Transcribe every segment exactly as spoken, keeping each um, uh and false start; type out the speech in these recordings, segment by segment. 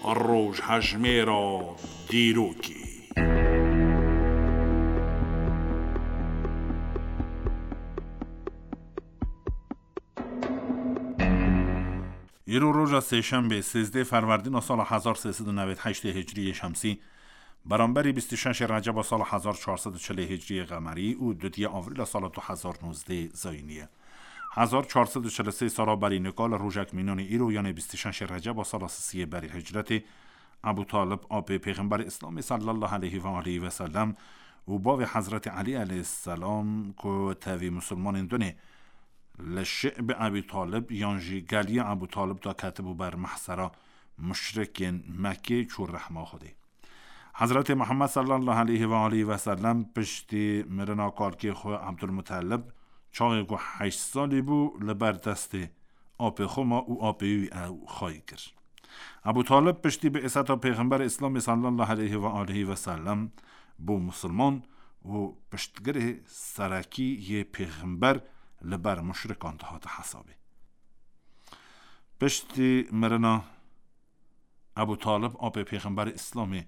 Rojhejmêra dîrokê. Îro roja sêşembê, sêzdeh ferwerdîna sala hezar sê sed û newêd heştê hicriyê şemsî, beramberî bîst û şeşê receba sala hezar çar sed û çilê hicriyê qemerî û dudiya avrîla sala du hezar nozdeh zayînî ye. Hezar çar sed û çil û sê sala berî nika li rojek mînanî îro, yanê bîst û şeşê receba sala sisiyê berî hicretê, Ebû Talib, apê Pêxemberê Îslamê sallallahu aleyhi ve aleyhi ve sellem û bavê Hezretê Elî aleyhisselam ku tevî musulmanên dunê li şi'bi Ebî Talib yan jî geliya Ebû Talib de ketibû ber mehsera muşrikên Mekkê, çû rehma Xwedê. Hezretê Muhammed sallallahu aleyhi ve aleyhi ve sellem piştî mirina kalkê xwe Ebdulmutelib, çaxê ku heşt salî bû, li ber destê apê xwe ma û apê wî ew xayî kir. Ebû Talib piştî bi'seta Pêxemberê Îslamê sallallahu aleyhi ve aleyhi ve sellem bû musulman û piştgirê serekî yê Pêxember li ber muşrikan dihate hesabê. Piştî mirina Ebû Talib, apê Pêxemberê Îslamê,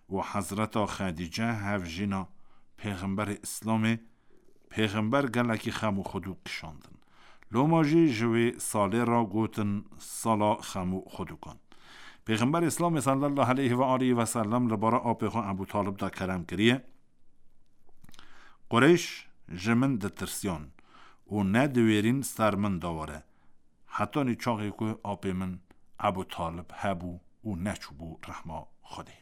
û Hezreta Xedîce, hevjîna Pêxemberê Îslamê, Pêxember gelekî xem û xwedûk kişandin. Loma jî ji wê salê re gotin sala xem û xwedûkan. Pêxemberê Îslamê sallallahu aleyhi ve aleyhi ve sellem li bara apê xwe Ebû Talib de kerem kiriye: Qureyş ji min ditirsiyan û nediwêrîn ser min de were. Hetanî çaxê ku apê min Ebû Talib hebû û neçûbû rehma Xwedê.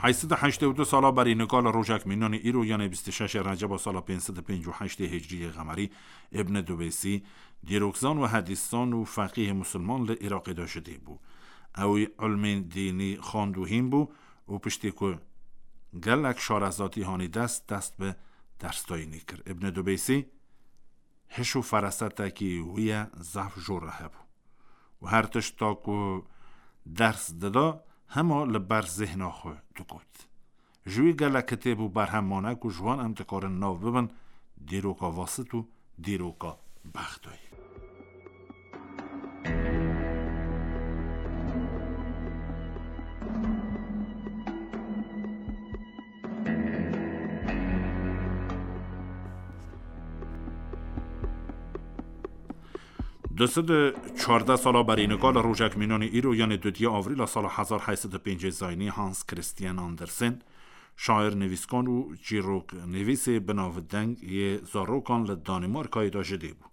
Heyşt sed û heştê û du sala berî nika li rojek mînanî îro, yanê bîst û şeşê receba sala pênc sed û pêncî û heştê hicriyê qemerî, Îbn Dubêsî, dîrokzan û hedîsan û feqîhê musulman li Iraqê de ji dê bû. Ew îlmên dînî xwend û hîn bû û piştî ku gelek şarezatî hanî dest, dest bi dersdayînê kir. Îbn Dubêsî hiş û ferasetekî wî ye zehf jor re hebû û her tişta ku ders dida, hema li ber zihna xwe digot. Ji wî gelek kitêb û berhem mane ku ji wan em dikarin nav bibin dîroka Vasit û dîroka Bexdayê. Du sed û çardeh sala berî nika li rojek mînanî îro, yanê dudiya avrîla sala hezar heyt sed û pêncî zayînî, Hans Christian Andersen, şair, nivîskar û çîroknivîsê binavdeng yê zarokan li Danîmarkayê de ji dê bû.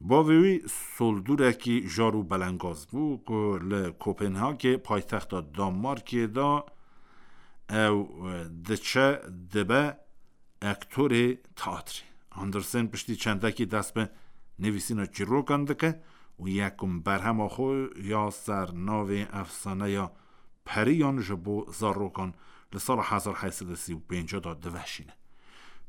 Bavê wî soldûrekî jar û belengaz bû ku li Kopenhagê, paytexta Danmarkê de ew diçe dibe ektorê teatrê. Andersen piştî çendekî dest bi nivîsîna çîrokan dike û yekum berhema xwe ya ser navê Efsaneya Periyan ji bo zarokan li sala hezar heyt sed û sî û pênc de diveşîne.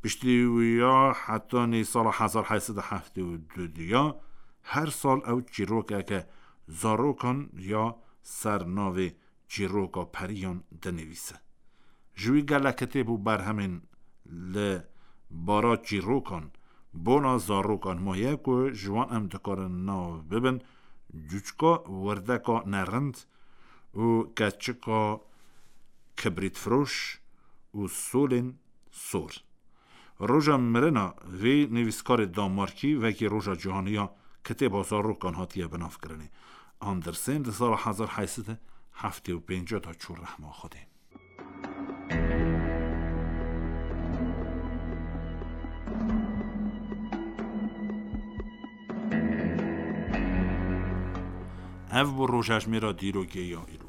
Piştî wî ya hetanî sala hezar heyt sed û heftê û du ya her sal ew çîrokeke zarokan ya ser navê Çîroka Periyan dinivîse. Ji wî gelek kitêb û berhemên li bara çîrokan bona zarokan maye ku ji wan em dikarin nav bibin: Cûçka Wirdeka Nerind û Keçika Kibrîtfiroş û Solên Sor. Roja mirina vê nivîskarê Danmarkî wekî Roja Cîhanî ya Kitêba Zarokan hatiye binavkirinê. Andersen di sala hezar heyt sed û heftê û pênc de çû rehma Xwedê. Ev bû rojejmêra dîrokê ya îro.